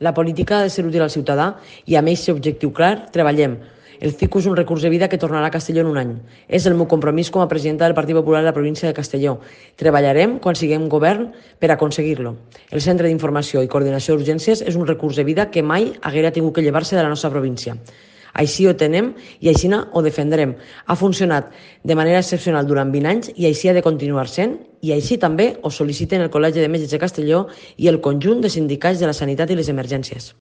La política ha de ser útil al ciutadà i amb aquest objectiu clar treballem. El CICU és un recurs de vida que tornarà a Castelló en un any. És el meu compromís com a presidenta del Partit Popular de la província de Castelló. Treballarem quan siguem govern per aconseguir-lo. El Centre d'Informació i Coordinació d'Urgències és un recurs de vida que mai haguera tingut que llevar-se de la nostra província. Així ho tenem i així ho defendrem. Ha funcionat de manera excepcional durant 20 anys i així ha de continuar sent, i així també ho sol·liciten el Col·legi de Metges de Castelló i el conjunt de sindicats de la sanitat i les emergències.